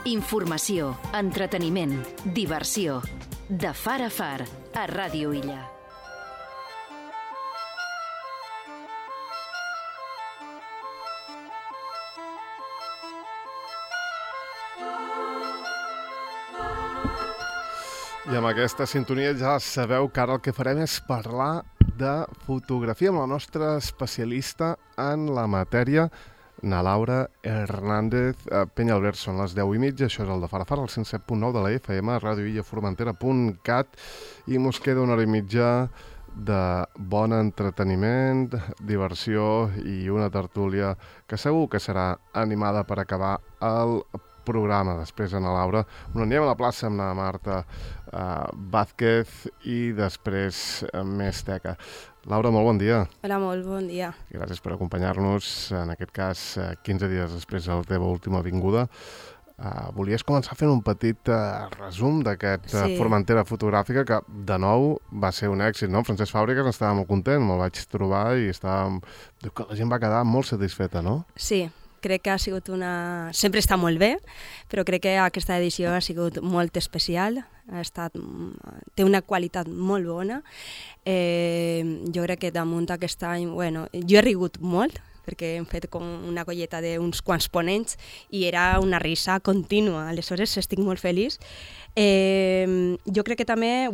Informació, entreteniment, diversió. De far a far, a Ràdio Illa. I amb aquesta sintonia ja sabeu que ara el que farem és parlar de fotografia amb la nostra especialista en la matèria, na Laura Hernández Peñalver. Són les 10:30, això és el de Far a Far, el 107.9 de la FM, radioillaformentera.cat, i mos queda una hora i mitja de bon entreteniment, diversió i una tertúlia que segur que serà animada per acabar el programa. Després, Ana Laura, on anem a la plaça amb la Marta Vázquez i després més teca. Laura, molt bon dia. Hola, molt bon dia. Gràcies per acompanyar-nos, en aquest cas 15 dies després de la teva última vinguda. Volies començar fent un petit resum d'aquest Formentera fotogràfica que, de nou, va ser un èxit, no? Francesc Fàbregas estava molt content, me'l vaig trobar i diu que la gent va quedar molt satisfeta, no? Sí, crec que ha sigut sempre està molt bé, però crec que aquesta edició ha sigut molt especial, té una qualitat molt bona. Jo crec que damunt aquest any, jo he rigut molt, perquè hem fet com una colleta d'uns quants ponents i era una risa contínua, aleshores estic molt feliç. Jo crec que també,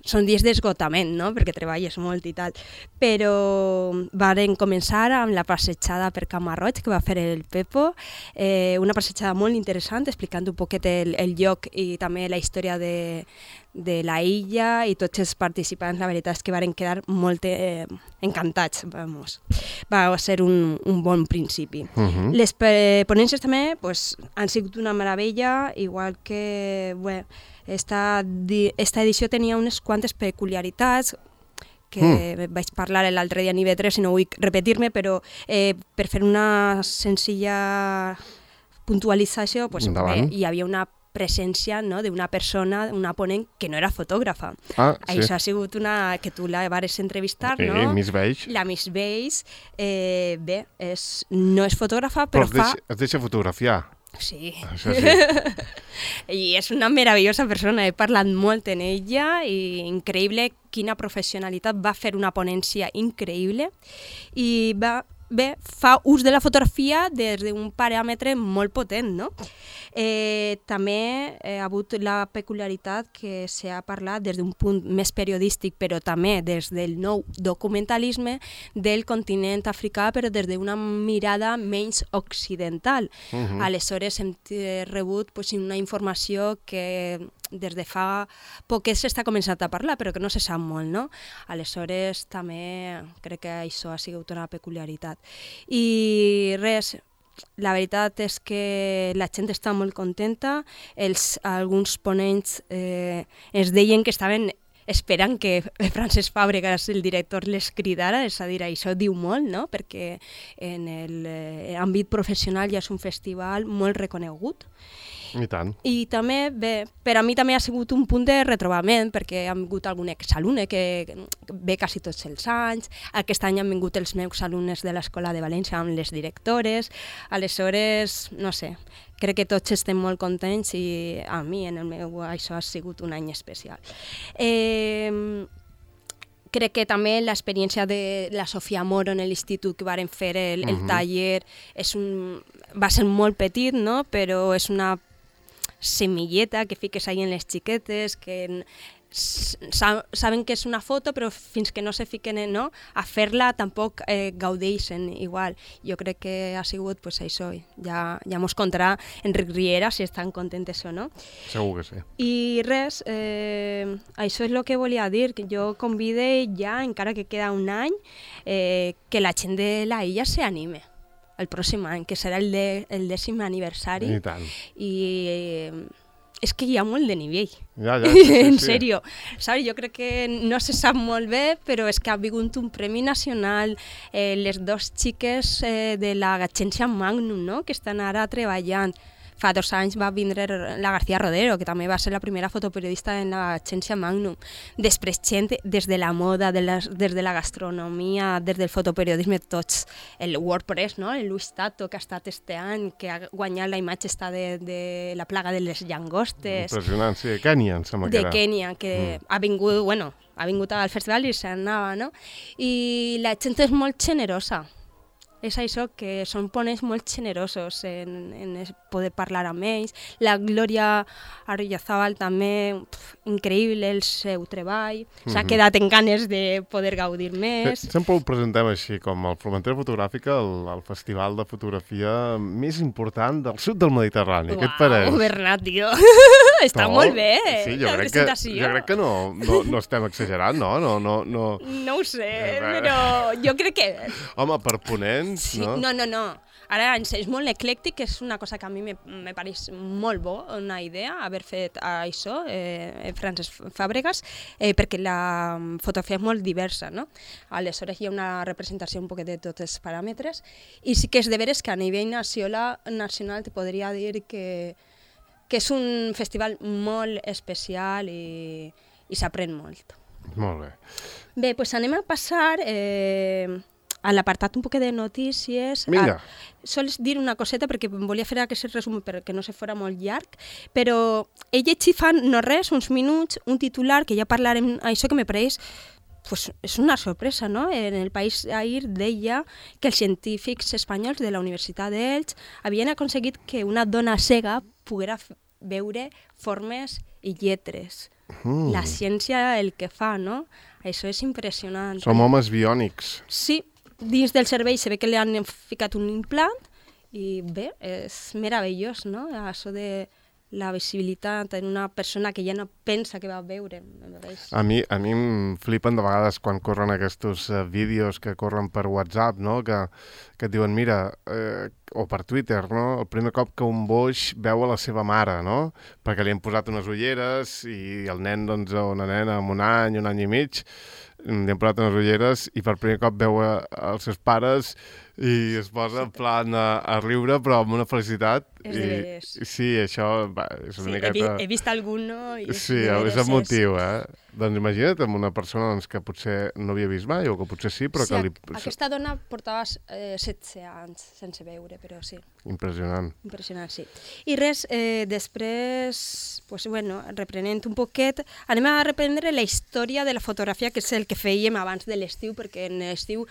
són dies d'esgotament, no?, perquè treballes molt i tal, però varen començar amb la passejada per Camarroig que va fer el Pepo, una passejada molt interessant, explicant un poquet el lloc i també la història de la illa, i tots els participants, la veritat és que varen quedar molt encantats, va ser un bon principi. Les ponències també han sigut una meravella, igual que, esta edició tenia unes quantes peculiaritats que vaig parlar l'altre dia en IB3 i no vull repetir-me, però per fer una senzilla puntualització, hi havia una presència d'una persona, una ponent que no era fotògrafa. Això ha sigut que tu la vares entrevistar, no? Miss Beige. La Miss Beige. No és fotògrafa, però es deixa fotografiar. Sí. Això sí. I és una meravellosa persona, he parlat molt amb ella i increïble quina professionalitat, va fer una ponència increïble i fa ús de la fotografia des d'un paràmetre molt potent, no? També ha hagut la peculiaritat que s'ha parlat des d'un punt més periodístic, però també des del nou documentalisme del continent africà, però des d'una mirada menys occidental. Aleshores hem rebut una informació que des de fa poquet s'està començant a parlar, però que no se sap molt, no? Aleshores també crec que això ha sigut una peculiaritat. I res, la veritat és que la gent està molt contenta, alguns ponents ens deien que estaven esperant que Francesc Fàbregas, el director, les cridara, és a dir, això diu molt, no?, perquè en l'àmbit professional ja és un festival molt reconegut. I tant. I també, per a mi també ha sigut un punt de retrobament, perquè han vingut algun exalumne que ve quasi tots els anys, aquest any han vingut els meus alumnes de l'Escola de València amb les directores, aleshores, no sé, crec que tots estem molt contents i a mi, en el meu, això ha sigut un any especial. Crec que també l'experiència de la Sofia Moro en l'institut que varen fer el taller va ser molt petit, no?, però és una semilleta que fiques ahí en les xiquetes, que saben que és una foto, però fins que no se fiquen a fer-la tampoc gaudeixen igual. Jo crec que ha sigut això, ja mos contarà Enric Riera si estan contentes o no. Segur que sí. I res, això és el que volia dir, que jo convide ja, encara que queda un any, que la gent de la illa s'anime el pròxim any, que serà el 10è aniversari. I tant. I és que hi ha molt de nivell. Sí. En sèrio. Saps? Jo crec que no se sap molt bé, però és que ha vingut un premi nacional, les dues xiques de la Gatxència Magnum, no?, que estan ara treballant. fa 2 anys va vindre la García Rodero, que també va ser la primera fotoperiodista en l'agència Magnum. Després gent des de la moda, des de la gastronomia, des del fotoperiodisme, tots. El WordPress, no? El Luis Tato, que ha estat este any, que ha guanyat la imatge de la plaga de les llangostes. Impressionant, sí, de Kènia, em sembla que era. De Kènia, que ha vingut al festival i s'anava, no? I la gent és molt generosa. És això, que són ponents molt generosos en poder parlar amb ells. La Glòria Arroyazábal també, increïble el seu treball. S'ha quedat en ganes de poder gaudir més. Sempre ho presentem així, com el Formentera Fotogràfica, el festival de fotografia més important del sud del Mediterrani. Què et pareix? Bernat, tio. Està molt bé, sí, la presentació. Jo crec que no estem exagerant, no? No ho sé, però jo crec que... Home, per ponents, sí, no? No. Ara és molt eclèctic, és una cosa que a mi me pareix molt bo, una idea, haver fet això, Francesc Fàbregas, perquè la fotografia és molt diversa, no? Aleshores hi ha una representació un poquet de tots els paràmetres, i sí que és de veres que a nivell nacional te podria dir que és un festival molt especial i s'aprèn molt. Molt bé. Bé, doncs anem a passar a l'apartat un poc de notícies. Vinga. Sols dir una coseta, perquè volia fer aquest resum perquè no se fora molt llarg, però he llegit fa no res, uns minuts, un titular que ja parlarem, això que me pareix, pues és una sorpresa, no? En el País ahir deia que els científics espanyols de la Universitat d'Elx havien aconseguit que una dona cega poguera veure formes i lletres. La ciència el que fa, no? Això és impressionant. Som homes biònics. Sí, dins del cervell se ve que li han ficat un implant i bé, és meravellós, no? Això de la visibilitat en una persona que ja no pensa que va veure. A mi em flipen de vegades quan corren aquests vídeos que corren per WhatsApp, no? Que et diuen, mira, o per Twitter, no? El primer cop que un boix veu a la seva mare, no? Perquè li han posat unes ulleres i el nen, doncs, o una nena amb un any i mig, li han posat unes ulleres i per primer cop veu els seus pares i es posa en plan a riure, però amb una felicitat. Sí, això és una miqueta... He vist algun, no? Sí, és emotiu, Doncs imagina't amb una persona que potser no havia vist mai, o que potser sí, però que li... Aquesta dona portava 16 anys sense veure, però sí. Impressionant. Impressionant, sí. I res, després, pues, bueno, reprenent un poquet, anem a reprendre la història de la fotografia, que és el que fèiem abans de l'estiu, perquè en l'estiu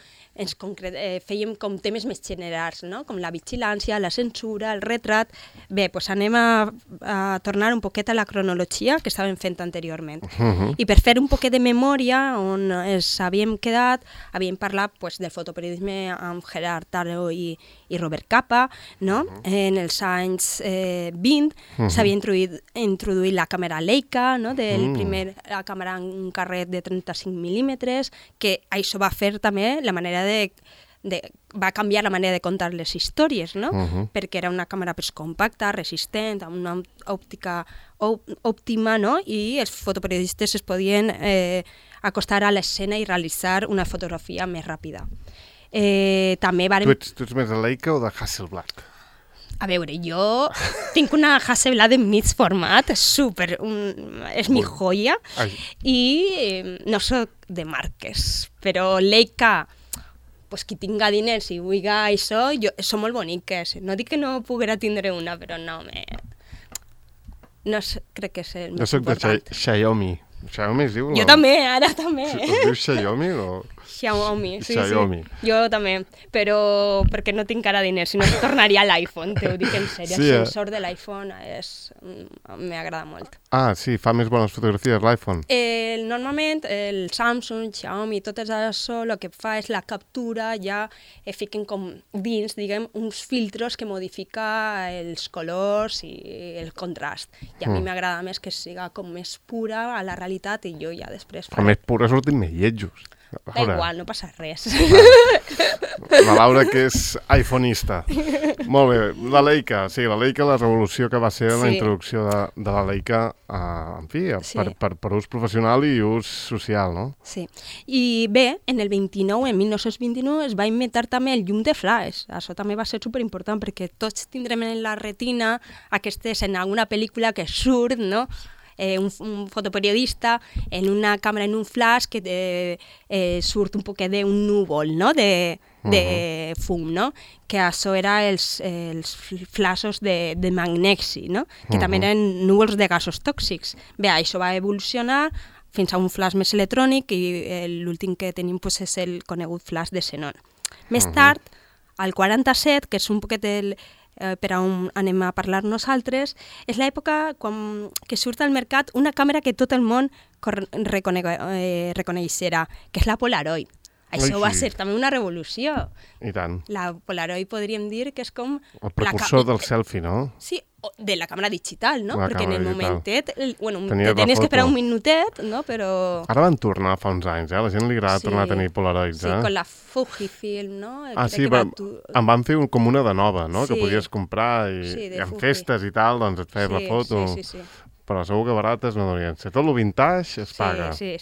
fèiem com temes més generals, no? Com la vigilància, la censura, el retrat. Bé, doncs anem a tornar un poquet a la cronologia que estàvem fent anteriorment. I per fer un poquet de memòria on ens havíem quedat, havíem parlat pues, del fotoperiodisme amb Gerard Taro i Robert Capa, no? En els anys 20 s'havia introduït la càmera Leica, no? La càmera en un carret de 35 mil·límetres, que això va fer també la manera va canviar la manera de contar les històries, no? Perquè era una càmera més compacta, resistent, amb una òptica òptima, no? I els fotoperiodistes es podien acostar a l'escena i realitzar una fotografia més ràpida. També Tu ets més de Leica o de Hasselblad? A veure, jo tinc una Hasselblad en mig format, és mi joia, i no soc de marques, però Leica, pues, qui tinga diners i vulgui això, són molt boniques. No dic que no poguera tindre una, però no crec que és el més important. Jo soc de Xiaomi. Xiaomi es diu? Jo també, ara també. Es diu Xiaomi o...? Xiaomi, sí. Jo també, però perquè no tinc ara diners, si no tornaria a l'iPhone, t'ho dic en sèrio. El sensor de l'iPhone m'agrada molt. Ah, sí, fa més bones fotografies l'iPhone. Normalment el Samsung, Xiaomi, tot això, el que fa és la captura, ja fiquen com dins, diguem, uns filtros que modifica els colors i el contrast. I a mi m'agrada més que siga com més pura a la realitat i jo ja després... A més pura surtin més lletjos. Da igual, no passa res. La Laura, que és iPhoneista. Molt bé. La Leica, la revolució que va ser la introducció de la Leica, en fi, per ús professional i ús social, no? Sí. I bé, en 1929, es va inventar també el llum de flaix. Això també va ser superimportant perquè tots tindrem en la retina aquesta escena, una pel·lícula que surt, no?, un fotoperiodista en una càmera en un flash que surt un poquet d'un núvol, no?, de fum, no?, que això era els flashes de magnesi, no?, que també eren núvols de gasos tòxics. Bé, això va evolucionar fins a un flash més electrònic i l'últim que tenim és el conegut flash de xenon. Més tard, al 47, que és un poquet per on anem a parlar nosaltres, és l'època que surt al mercat una càmera que tot el món reconeixerà, que és la Polaroid. Això va ser també una revolució. I tant. La Polaroid podríem dir que és com... El precursor del selfie, no? Sí, de la càmera digital, no? La perquè en el momentet, bueno, tenies que esperar un minutet, no? Però... Ara van tornar fa uns anys, la gent li agrada tornar a tenir Polaroids, Sí, con la Fujifilm, no? Sí, em van fer com una de nova, no? Que podies comprar i en festes i tal, doncs et feies la foto. Sí. Però segur que barates no deurien ser. Tot el vintage es paga. Sí.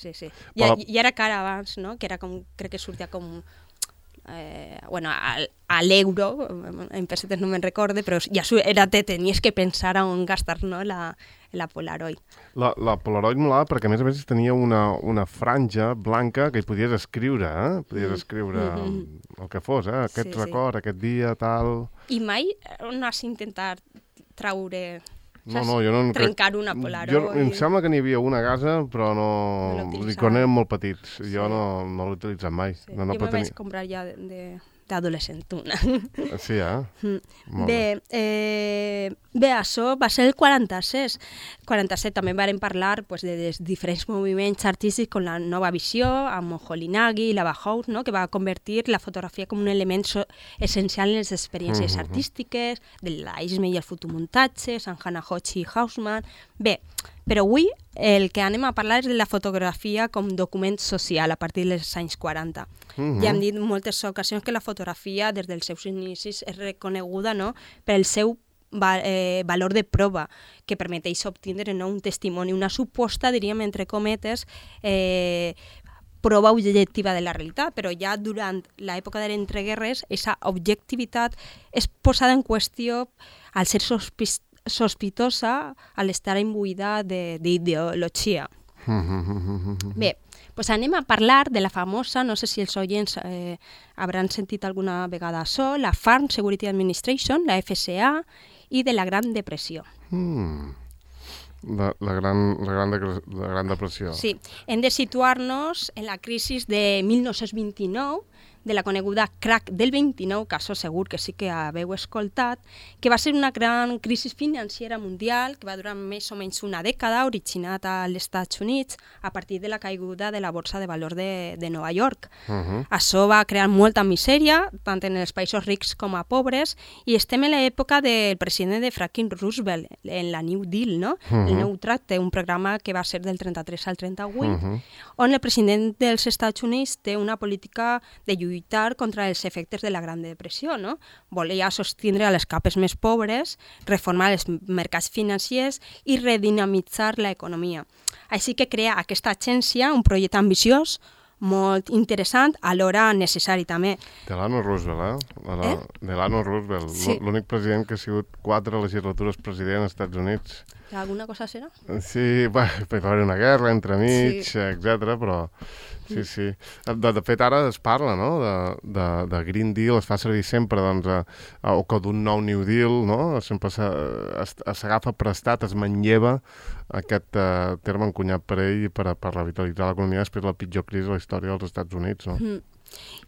I era cara abans, no? Que era com, crec que sortia com... a l'euro, en pessetes no me'n recorde, però ja tenies que pensar on gastar, no?, la Polaroid. La Polaroid molava perquè, a més, tenia una franja blanca que hi podies escriure, Podies escriure el que fos, aquest record, aquest dia, tal... I mai no has intentat traure... No, jo no trencar una Polaroid. Em sembla que n'hi havia una a casa, però no... Quan érem molt petits. Jo no l'he utilitzat mai. Jo me vaig comprar ja d'adolescentuna. Sí, Bé, això va ser el 46. 47 també vam parlar de diferents moviments artístics com la nova visió, amb Moholy-Nagy i la Bauhaus, no?, que va convertir la fotografia com un element essencial en les experiències artístiques, del dadaisme i el fotomuntatge, Sant Hanahochi i Haussmann. Bé, però avui el que anem a parlar és de la fotografia com document social a partir dels anys 40. Ja hem dit en moltes ocasions que la fotografia des dels seus inicis és reconeguda, no?, pel seu valor de prova, que permeteix obtindre, no?, un testimoni, una suposta, diríem, entre cometes, prova objectiva de la realitat, però ja durant l'època de l'entreguerres, aquesta objectivitat és posada en qüestió al ser sospitosa, al estar imbuïda d'ideologia. Bé, doncs anem a parlar de la famosa, no sé si els oients hauran sentit alguna vegada això, la Farm Security Administration, la FSA, i de la Gran Depressió. La Gran Depressió. Sí, hem de situar-nos en la crisi de 1929, de la coneguda crack del 29, que això segur que sí que haveu escoltat, que va ser una gran crisi financera mundial que va durar més o menys una dècada, originat als Estats Units a partir de la caiguda de la borsa de valor de Nova York. Això va crear molta misèria, tant en els països rics com a pobres, i estem en l'època del president de Franklin Roosevelt, en la New Deal, no? El Nou Tracte, un programa que va ser del 33 al 38, on el president dels Estats Units té una política de lluitar contra els efectes de la Gran Depressió, no? Volia sostindre a les capes més pobres, reformar els mercats financers i redinamitzar l'economia. Així que crea aquesta agència, un projecte ambiciós, molt interessant, alhora necessari també. Delano Roosevelt, Delano Roosevelt, l'únic president que ha sigut 4 legislatures president als Estats Units. Alguna cosa serà? Sí, va haver una guerra entremig, etc. però sí. De fet, ara es parla, no?, de Green Deal, es fa servir sempre, doncs, o que d'un nou New Deal, no?, sempre s'agafa prestat, es manlleva aquest terme encunyat per ell per revitalitzar l'economia després de la pitjor crisi de la història dels Estats Units, no?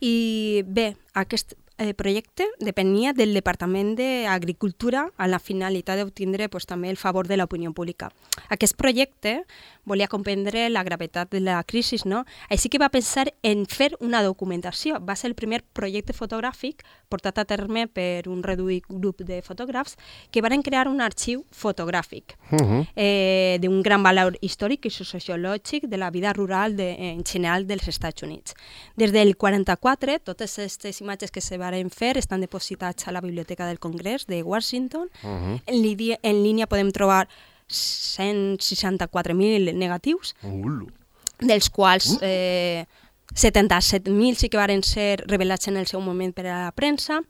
I bé, aquest projecte depenia del Departament d'Agricultura amb la finalitat d'obtindre també el favor de l'opinió pública. Aquest projecte volia comprendre la gravetat de la crisi, no? Així que va pensar en fer una documentació. Va ser el primer projecte fotogràfic portat a terme per un reduït grup de fotògrafs que van crear un arxiu fotogràfic d'un gran valor històric i sociològic de la vida rural en general dels Estats Units. Des del 44, totes aquestes imatges que se van fer estan depositats a la Biblioteca del Congrés de Washington. En línia podem trobar 164.000 negatius, dels quals 77.000 sí que van ser revelats en el seu moment per a la premsa,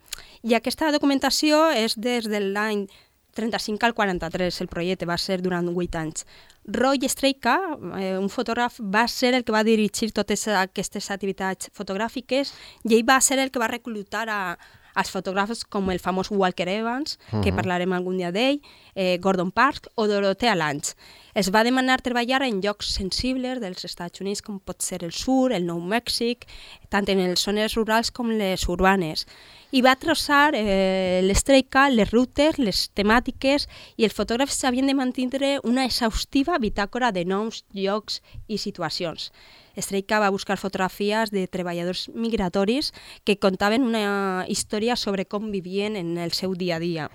i aquesta documentació és des de l'any 35 al 43, el projecte va ser durant 8 anys. Roy Streika, un fotògraf, va ser el que va dirigir totes aquestes activitats fotogràfiques i ell va ser el que va reclutar als fotògrafs com el famós Walker Evans, que parlarem algun dia d'ell, Gordon Parks o Dorothea Lange. Es va demanar treballar en llocs sensibles dels Estats Units, com pot ser el sur, el Nou Mèxic, tant en les zones rurals com les urbanes. I va traçar l'Streika, les rutes, les temàtiques, i els fotògrafs havien de mantenir una exhaustiva bitàcora de noms, llocs i situacions. Streika va buscar fotografies de treballadors migratoris que contaven una història sobre com vivien en el seu dia a dia.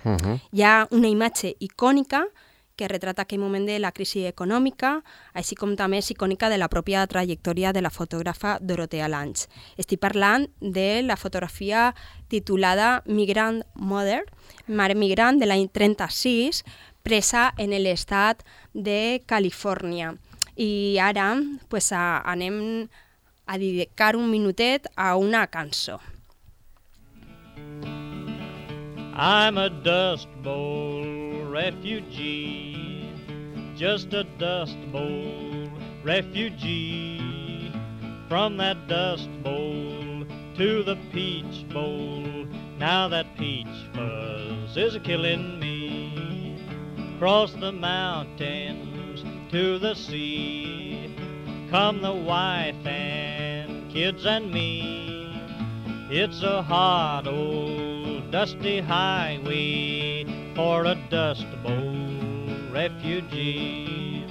Hi ha una imatge icònica que retrata aquell moment de la crisi econòmica, així com també és icònica de la pròpia trajectòria de la fotògrafa Dorothea Lange. Estic parlant de la fotografia titulada Migrant Mother, Mare Migrant, de l'any 36, presa en l'estat de Califòrnia. I ara anem a dedicar un minutet a una cançó. I'm a Dust Bowl refugee, just a Dust Bowl refugee. From that Dust Bowl to the Peach Bowl, now that peach fuzz is a-killing me. Across the mountains to the sea, come the wife and kids and me. It's a hot old dusty highway for a Dust Bowl refugee.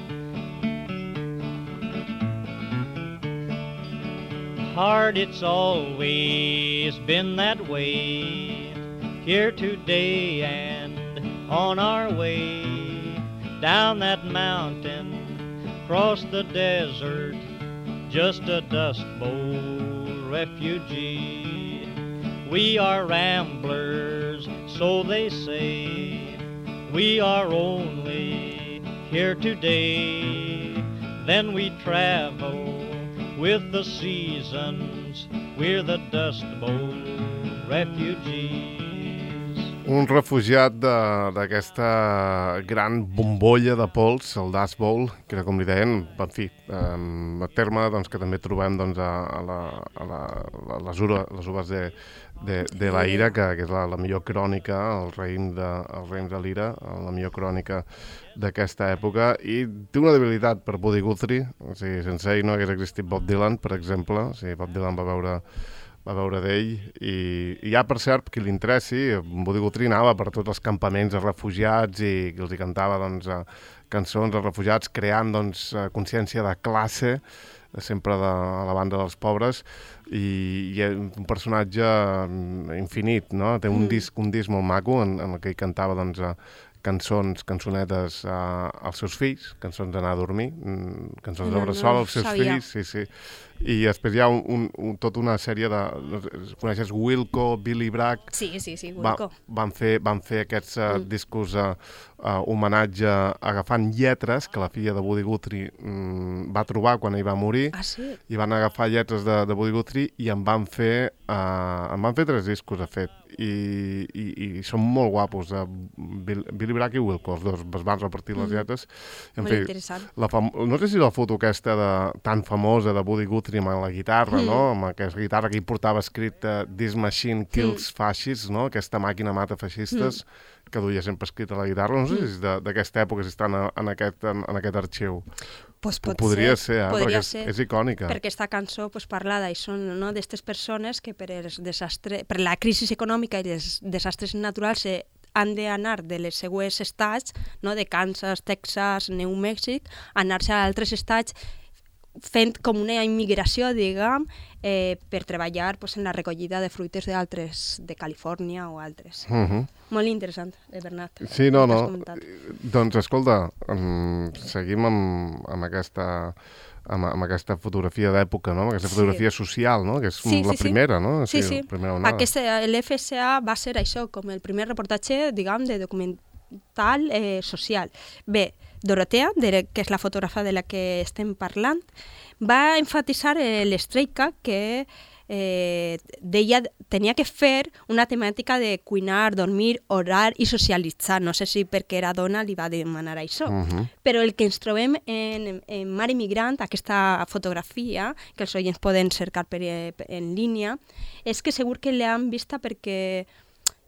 Hard it's always been that way, here today and on our way, down that mountain, across the desert, just a Dust Bowl refugee. We are ramblers, so they say, we are only here today. Then we travel with the seasons, we're the Dust Bowl refugees. Un refugiat d'aquesta gran bombolla de pols, el Dust Bowl, que era com li deien, en fi, a terme que també trobem a les uves de la ira, que és la millor crònica, el raïm de l'ira, la millor crònica d'aquesta època, i té una debilitat per Woody Guthrie. O sigui, sense ell no hagués existit Bob Dylan, per exemple. O sigui, Bob Dylan va veure d'ell, i ja, per cert, qui li interessi, Woody Guthrie anava per tots els campaments de refugiats i els hi cantava cançons als refugiats, creant consciència de classe, sempre a la banda dels pobres, i és un personatge infinit, no? Té un disc molt maco en el que ell cantava cançonetes als seus fills, cançons d'anar a dormir, cançons de bressol als seus fills, sí. I després hi ha tota una sèrie de... Coneixes Wilco, Billy Bragg? Sí, Wilco. Van fer aquests discos homenatge agafant lletres que la filla de Woody Guthrie va trobar quan ell va morir. Ah, sí? I van agafar lletres de Woody Guthrie i en van fer 3 discos, de fet. I són molt guapos, Billy Bragg i Wilco, els dos es van repartir les lletres. Molt interessant. No sé si la foto aquesta tan famosa de Woody Guthrie amb la guitarra, no? Amb aquesta guitarra que ell portava escrit This Machine Kills Fascists, no? Aquesta màquina mata feixistes. que duia sempre escrita a la guitarra. No sé si és d'aquesta època, si està en aquest arxiu. Pues Podria ser, podria perquè és icònica. Perquè aquesta cançó parla d'això, no? D'aquestes persones que per la crisi econòmica i els desastres naturals han d'anar de les seues estats, no? De Kansas, Texas, New Mexico, anar-se a altres estats fent com una immigració, diguem, per treballar en la recollida de fruites de Califòrnia o altres. Molt interessant, Bernat. Sí, no. Doncs, escolta, seguim amb aquesta fotografia d'època, no? Amb aquesta fotografia social, no? Que és la primera, no? Sí. L'FSA va ser això, com el primer reportatge, diguem, de documental social. Bé, Dorotea, que és la fotògrafa de la que estem parlant, va enfatitzar l'Streica que deia tenia que fer una temàtica de cuinar, dormir, orar i socialitzar. No sé si perquè era dona li va demanar això. Però el que ens trobem en Mare Migrant, aquesta fotografia, que els oients poden cercar en línia, és que segur que l'han vista perquè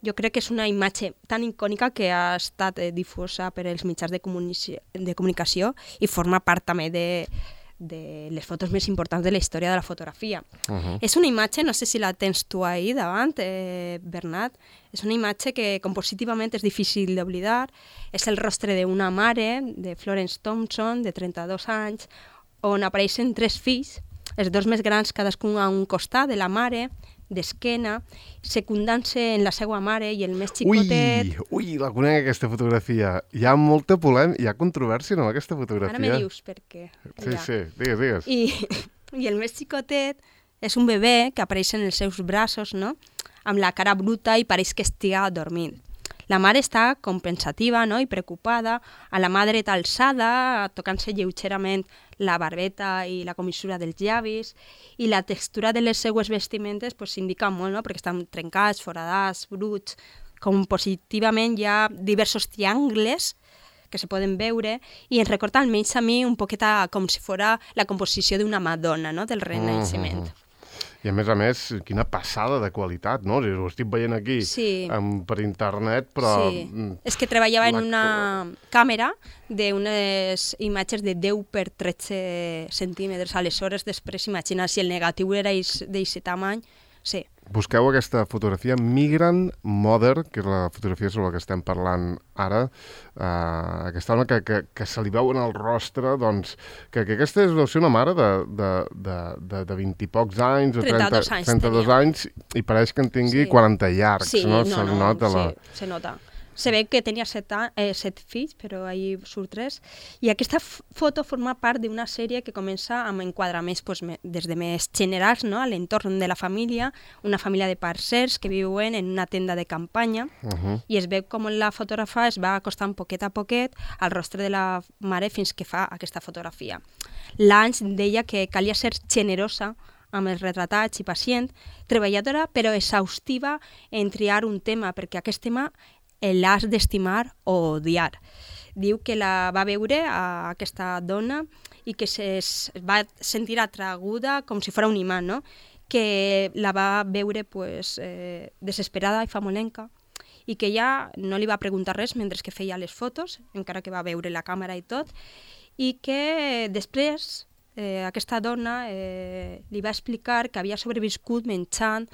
jo crec que és una imatge tan icònica que ha estat difosa per als mitjans de comunicació i forma part també de les fotos més importants de la història de la fotografia. És una imatge, no sé si la tens tu ahí davant, Bernat, és una imatge que compositivament és difícil d'oblidar. És el rostre d'una mare, de Florence Thompson, de 32 anys, on apareixen 3 fills, els 2 més grans cadascun a un costat de la mare, d'esquena, secundant-se en la seva mare i el més xicotet... Ui, la conec, aquesta fotografia. Hi ha molta polèmica, hi ha controvèrsia amb aquesta fotografia. Ara me dius per què. Sí, digues. I el més xicotet és un bebè que apareix en els seus braços, no? Amb la cara bruta i pareix que estiga dormint. La mare està com pensativa, no? I preocupada, a la mà dreta alçada, tocant-se lleugerament la barbeta i la comissura dels llavis, i la textura de les seues vestimentes s'indica molt, no? Perquè estan trencats, foradats, bruts. Compositivament hi ha diversos triangles que se poden veure i ens recorda almenys a mi un poquet com si fos la composició d'una Madonna, no? Del Renaixement. I a més, quina passada de qualitat, no? Ho estic veient aquí per internet, però... Sí, és que treballava en una càmera d'unes imatges de 10 per 13 centímetres. Aleshores, després, imagina, si el negatiu era d'aquest tamany, sí. Busqueu aquesta fotografia Migrant Mother, que és la fotografia sobre la que estem parlant ara, aquesta dona que se li veu en el rostre, doncs, que aquesta deu ser una mare de 20 i pocs anys, o 32 anys, i pareix que en tingui 40 llargs, no? Se nota. Se ve que tenia 7 fills, però ahir surt 3. I aquesta foto forma part d'una sèrie que comença amb enquadraments des de més generals, no? A l'entorn de la família, una família de parcers que viuen en una tenda de campanya, i es veu com la fotògrafa es va acostant poquet a poquet al rostre de la mare fins que fa aquesta fotografia. Lange deia que calia ser generosa amb els retratats i pacient, treballadora però exhaustiva en triar un tema, perquè aquest tema l'has d'estimar o odiar. Diu que la va veure a aquesta dona i que es va sentir atraguda com si fos un imant, no? Que la va veure desesperada i famolenca i que ja no li va preguntar res mentre que feia les fotos, encara que va veure la càmera i tot, i que després aquesta dona li va explicar que havia sobreviscut menjant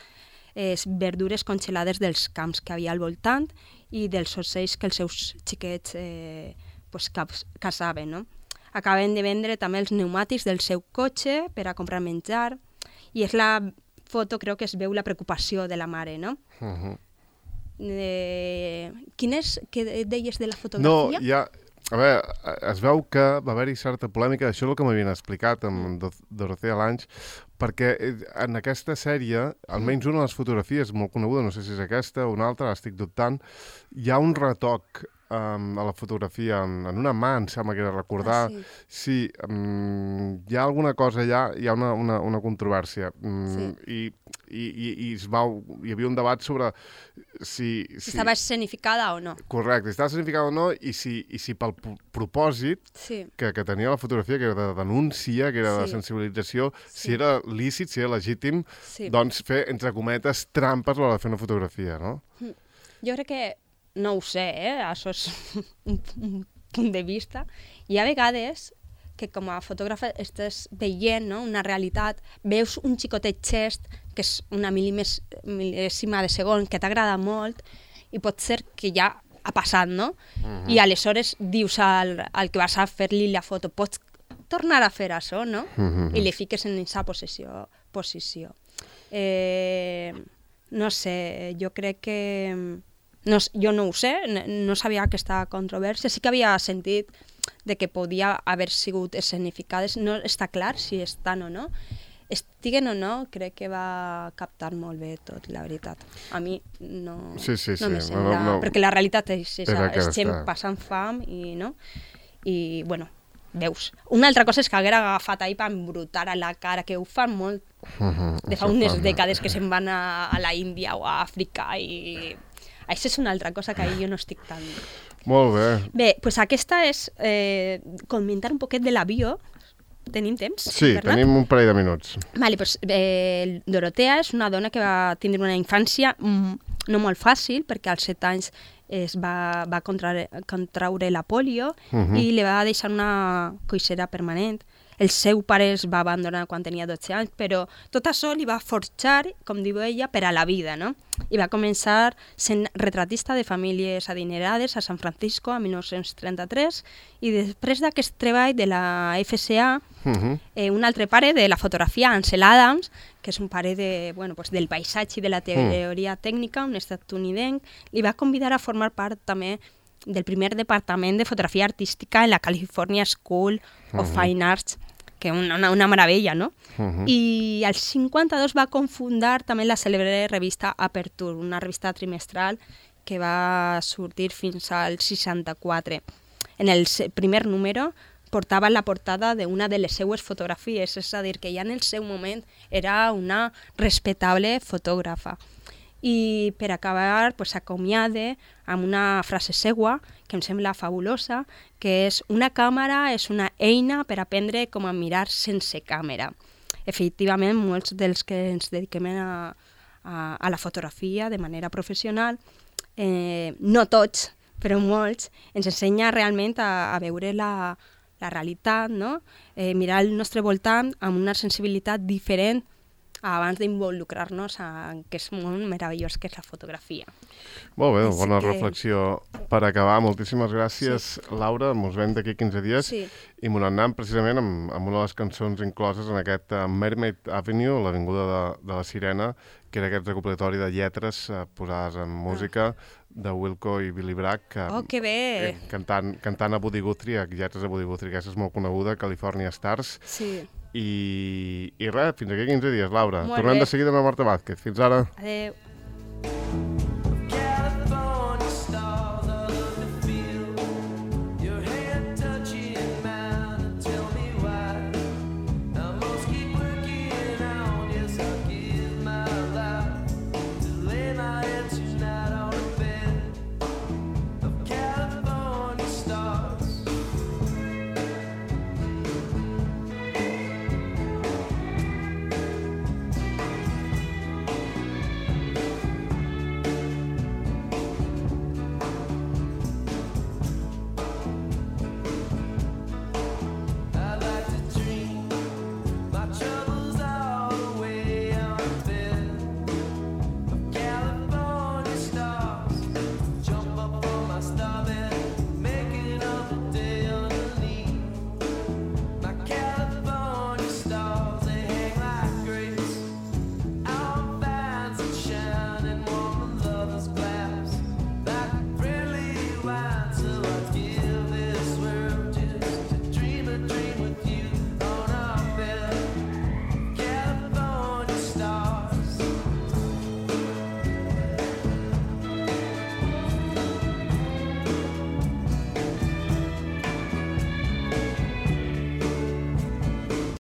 verdures congelades dels camps que havia al voltant i dels ocells que els seus xiquets caçaven, no? Acaben de vendre també els pneumàtics del seu cotxe per a comprar menjar i és la foto, crec que es veu la preocupació de la mare, no? Què deies de la fotografia? No, a veure, es veu que va haver-hi certa polèmica, això és el que m'havien explicat amb Dorothea Lange, perquè en aquesta sèrie, almenys una de les fotografies molt coneguda, no sé si és aquesta o una altra, estic dubtant, hi ha un retoc a la fotografia en una mà, em sembla que era recordar. Sí, hi ha alguna cosa allà, hi ha una controvèrsia. I hi havia un debat sobre si estava escenificada o no. Correcte, estava escenificada o no, i si pel propòsit que tenia la fotografia, que era de denúncia, que era de sensibilització, si era lícit, si era legítim, doncs fer, entre cometes, trampes a l'hora de fer una fotografia, no? Jo crec que no ho sé, això és un punt de vista. Hi ha vegades que com a fotògrafa estàs veient, no?, una realitat, veus un xicotet gest, que és una mil·lèsima de segon, que t'agrada molt, i pot ser que ja ha passat, no? I aleshores dius al que vas a fer-li la foto, pots tornar a fer això, no? I li fiques en aquesta posició. No sé, jo crec que... jo no ho sé, no sabia aquesta controvèrsia, sí que havia sentit de que podia haver sigut escenificades, no està clar si estan o no. Estiguen o no, crec que va captar molt bé tot, la veritat. A mi no me sembla... Perquè la realitat és gent passant fam i, no? I, bueno, veus. Una altra cosa és que haguera agafat ahir per embrutar a la cara, que ho fan molt de fa unes dècades que se'n van a la Índia o a Àfrica i... Això és una altra cosa que ahir jo no estic tan... Molt bé. Bé, doncs aquesta és comentar un poquet de l'avió. Tenim temps? Sí, tenim un parell de minuts. Vale, doncs, Dorotea és una dona que va tindre una infància no molt fàcil, perquè als 7 anys va contraure la polio i li va deixar una coixera permanent. El seu pare es va abandonar quan tenia 12 anys, però tot això li va forjar, com diu ella, per a la vida, no? I va començar sent retratista de famílies adinerades a San Francisco a 1933 i després d'aquest treball de la FCA, un altre pare de la fotografia, Ansel Adams, que és un pare del paisatge i de la teoria tècnica, un estatunidenc, li va convidar a formar part també del primer departament de fotografia artística en la California School of Fine Arts, que una meravella, no? I al 52 va confundar també la cèlebre revista Aperture, una revista trimestral que va sortir fins al 64. En el primer número portava la portada d'una de les seues fotografies, és a dir, que ja en el seu moment era una respectable fotògrafa. I per acabar s'acomiada amb una frase seua que em sembla fabulosa, que és: una càmera és una eina per aprendre com a mirar sense càmera. Efectivament, molts dels que ens dediquem a la fotografia de manera professional, no tots, però molts, ens ensenya realment a veure la realitat, no? Mirar el nostre voltant amb una sensibilitat diferent abans d'involucrar-nos en aquest món meravellós que és la fotografia. Molt bé, bona reflexió per acabar. Moltíssimes gràcies, Laura. Ens veiem d'aquí 15 dies i m'ho anem precisament amb una de les cançons incloses en aquest Mermaid Avenue, l'avinguda de la Sirena, que era aquest recopilatori de lletres posades en música de Wilco i Billy Bragg. Que bé! Cantant a Woody Guthrie, lletres de Woody Guthrie, aquesta és molt coneguda, California Stars. Sí. I res, fins aquí 15 dies, Laura. Tornem de seguida amb la Marta Vázquez. Fins ara. Adéu.